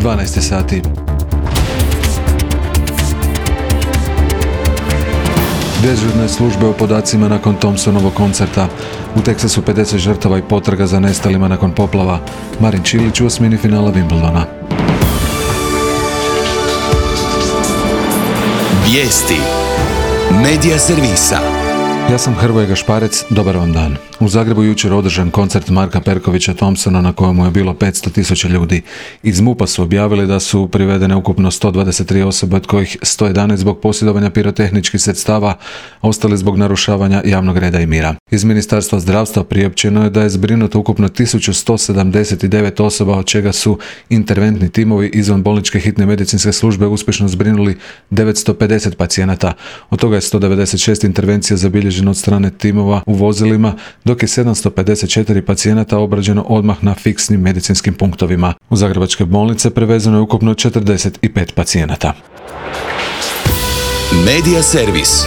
12 sati. Dežurne službe o podacima nakon Thompsonovog koncerta. U Teksasu 50 žrtava i potraga za nestalima nakon poplava. Marin Čilić u osmini finala Wimbledona. Vijesti Medija servisa. Ja sam Hrvoje Gašparec, dobar vam dan. U Zagrebu jučer održan koncert Marka Perkovića Thompsona na kojemu je bilo 500.000 ljudi. Iz MUP-a su objavili da su privedene ukupno 123 osobe, od kojih 111 zbog posjedovanja pirotehničkih sredstava, a ostali zbog narušavanja javnog reda i mira. Iz Ministarstva zdravstva priopćeno je da je zbrinuto ukupno 1179 osoba, od čega su interventni timovi izvanbolničke hitne medicinske službe uspješno zbrinuli 950 pacijenata. Od toga je 196 intervencija zabilježeno od strane timova u vozilima, dok je 754 pacijenata obrađeno odmah na fiksnim medicinskim punktovima. U zagrebačke bolnice prevezeno je ukupno 45 pacijenata. Medija servis.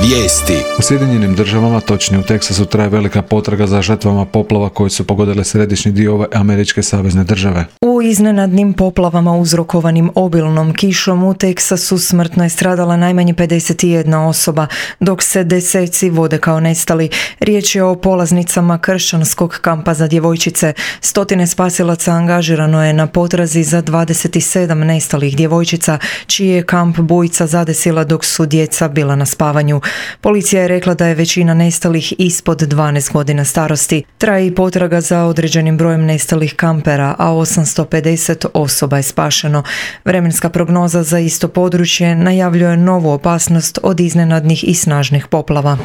Vijesti. U Sjedinjenim državama, točnije u Teksasu, traje velika potraga za žrtvama poplava koje su pogodile središnji dio ove američke savezne države. U iznenadnim poplavama uzrokovanim obilnom kišom u Teksasu smrtno je stradala najmanje 51 osoba, dok se deseci vode kao nestali. Riječ je o polaznicama kršćanskog kampa za djevojčice. Stotine spasilaca angažirano je na potrazi za 27 nestalih djevojčica, čiji je kamp bujica zadesila dok su djeca bila na spavanju. Policija je rekla da je većina nestalih ispod 12 godina starosti. Traje i potraga za određenim brojem nestalih kampera, a 850 osoba je spašeno. Vremenska prognoza za isto područje najavljuje novu opasnost od iznenadnih i snažnih poplava.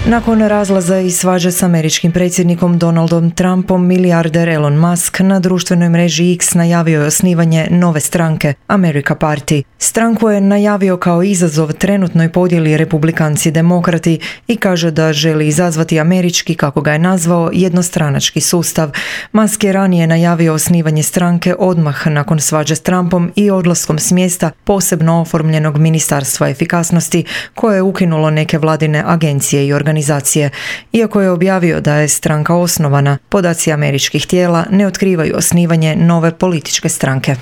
Nakon razlaza i svađe s američkim predsjednikom Donaldom Trumpom, milijarder Elon Musk na društvenoj mreži X najavio je osnivanje nove stranke, America Party. Stranku je najavio kao izazov trenutnoj podjeli republikanci demokrati i kaže da želi izazvati američki, kako ga je nazvao, jednostranački sustav. Musk je ranije najavio osnivanje stranke odmah nakon svađe s Trumpom i odlaskom s mjesta posebno oformljenog ministarstva efikasnosti, koje je ukinulo neke vladine agencije i organizacije. Iako je objavio da je stranka osnovana, podaci američkih tijela ne otkrivaju osnivanje nove političke stranke.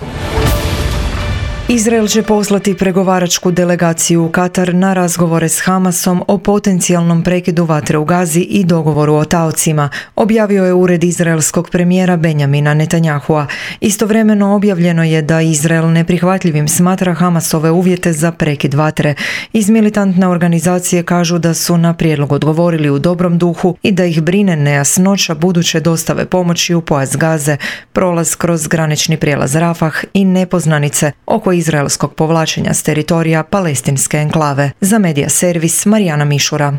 Izrael će poslati pregovaračku delegaciju u Katar na razgovore s Hamasom o potencijalnom prekidu vatre u Gazi i dogovoru o taocima, objavio je ured izraelskog premijera Benjamina Netanjahua. Istovremeno objavljeno je da Izrael neprihvatljivim smatra Hamasove uvjete za prekid vatre. Iz militantne organizacije kažu da su na prijedlog odgovorili u dobrom duhu i da ih brine nejasnoća buduće dostave pomoći u pojas Gaze, prolaz kroz granični prijelaz Rafah i nepoznanice oko izraelskog povlačenja s teritorija palestinske enklave. Za Medija servis Marijana Mišura.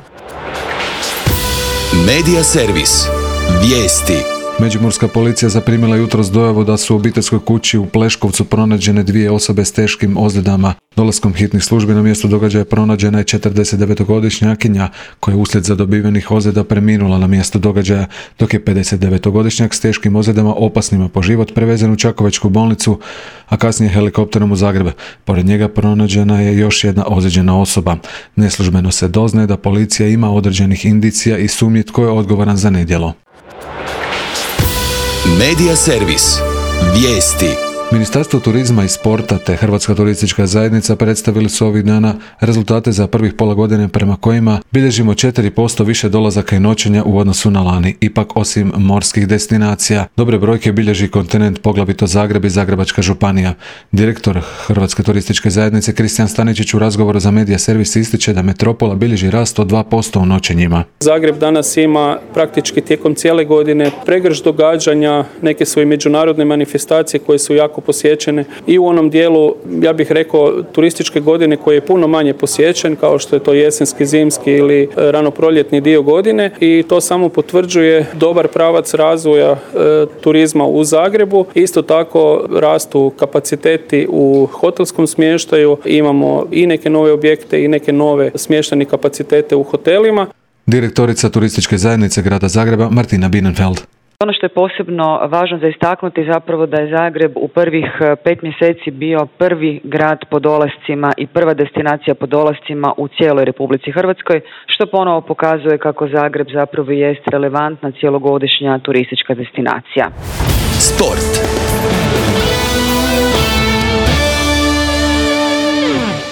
Medija servis. Vijesti. Međimurska policija zaprimila jutros dojavu da su u obiteljskoj kući u Pleškovcu pronađene dvije osobe s teškim ozljedama. Dolaskom hitnih službi na mjesto događaja pronađena je 49-godišnjakinja koja je uslijed zadobivenih ozljeda preminula na mjesto događaja, dok je 59-godišnjak s teškim ozljedama opasnima po život prevezen u Čakovečku bolnicu, a kasnije helikopterom u Zagreb. Pored njega pronađena je još jedna ozlijeđena osoba. Neslužbeno se doznaje da policija ima određenih indicija i sumnji tko je odgovoran za nedjelo. Medija servis. Vijesti. Ministarstvo turizma i sporta te Hrvatska turistička zajednica predstavili su ovih dana rezultate za prvih pola godine prema kojima bilježimo 4% više dolazaka i noćenja u odnosu na lani. Ipak, osim morskih destinacija, dobre brojke bilježi kontinent, poglavito Zagreb i Zagrebačka županija. Direktor Hrvatske turističke zajednice Kristijan Staničić u razgovoru za Medija servis ističe da metropola bilježi rast od 2% u noćenjima. Zagreb danas ima praktički tijekom cijele godine pregršt događanja, neke svoje međunarodne manifestacije koje su jako posjećene i u onom dijelu, ja bih rekao, turističke godine koji je puno manje posjećen, kao što je to jesenski, zimski ili ranoproljetni dio godine, i to samo potvrđuje dobar pravac razvoja turizma u Zagrebu. Isto tako rastu kapaciteti u hotelskom smještaju, imamo i neke nove objekte i neke nove smještajne kapacitete u hotelima. Direktorica turističke zajednice grada Zagreba Martina Bienenfeld. Ono što je posebno važno za istaknuti zapravo da je Zagreb u prvih 5 mjeseci bio prvi grad po dolascima i prva destinacija po dolascima u cijeloj Republici Hrvatskoj, što ponovo pokazuje kako Zagreb zapravo jest relevantna cijelogodišnja turistička destinacija. Sport.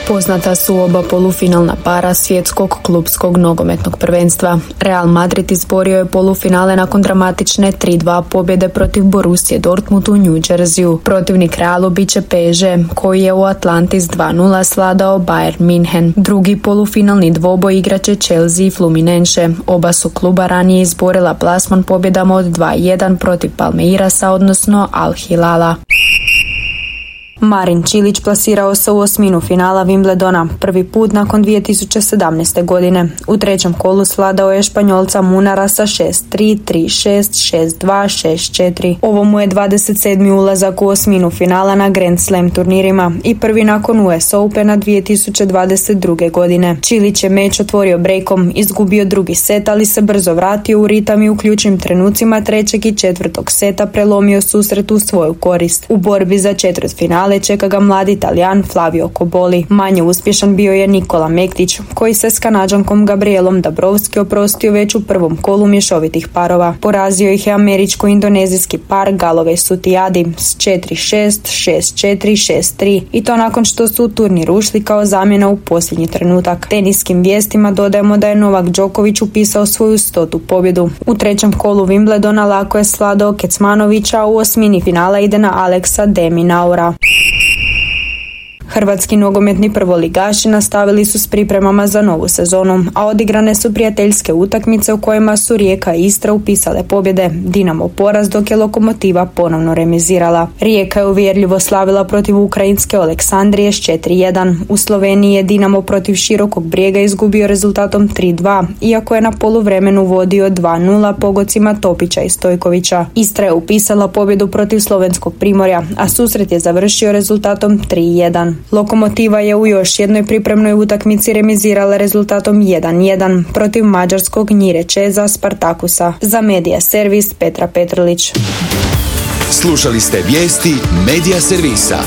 Poznata su oba polufinalna para svjetskog klupskog nogometnog prvenstva. Real Madrid izborio je polufinale nakon dramatične 3-2 pobjede protiv Borussije Dortmund u New Jerseyu. Protivnik Realu bit će PSG, koji je u Atlanti s 2-0 svladao Bayern München. Drugi polufinalni dvoboj igraće Chelsea i Fluminense. Oba su kluba ranije izborila plasman pobjedama od 2-1 protiv Palmeirasa, odnosno Al Hilala. Marin Cilic plasirao se u osminu finala Wimbledona, prvi put nakon 2017. godine. U trećem kolu svladao je Španjolca Munara sa 6-3, 3-6, 6-2, 6-4. Ovo mu je 27. ulazak u osminu finala na Grand Slam turnirima i prvi nakon US Opena 2022. godine. Cilic je meč otvorio breakom, izgubio drugi set, ali se brzo vratio u ritam i u ključnim trenucima trećeg i četvrtog seta prelomio susret u svoju korist. U borbi za četvrtfinale čeka ga mladi Italijan Flavio Cobolli. Manje uspješan bio je Nikola Mektić, koji se s Kanađankom Gabrielom Dabrowski oprostio već u prvom kolu mješovitih parova. Porazio ih je američko-indonezijski par Galloway Sutiadi s 4-6, 6-4, 6-3 i to nakon što su u turnir ušli kao zamjena u posljednji trenutak. Teniskim vijestima dodajemo da je Novak Đoković upisao svoju 100. pobjedu. U trećem kolu Wimbledona lako je svladao Kecmanovića, a u osmini finala ide na Alexa de Minaura. Hrvatski nogometni prvoligaši nastavili su s pripremama za novu sezonu, a odigrane su prijateljske utakmice u kojima su Rijeka i Istra upisale pobjede, Dinamo poraz, dok je Lokomotiva ponovno remizirala. Rijeka je uvjerljivo slavila protiv ukrajinske Aleksandrije s 4-1. U Sloveniji je Dinamo protiv Širokog Brijega izgubio rezultatom 3-2, iako je na poluvremenu vodio 2-0 pogodcima Topića i Stojkovića. Istra je upisala pobjedu protiv slovenskog Primorja, a susret je završio rezultatom 3-1. Lokomotiva je u još jednoj pripremnoj utakmici remizirala rezultatom 1-1 protiv mađarskog Njirečeza Spartakusa. Za Medija Servis Petra Petrlić. Slušali ste vijesti Medija Servisa.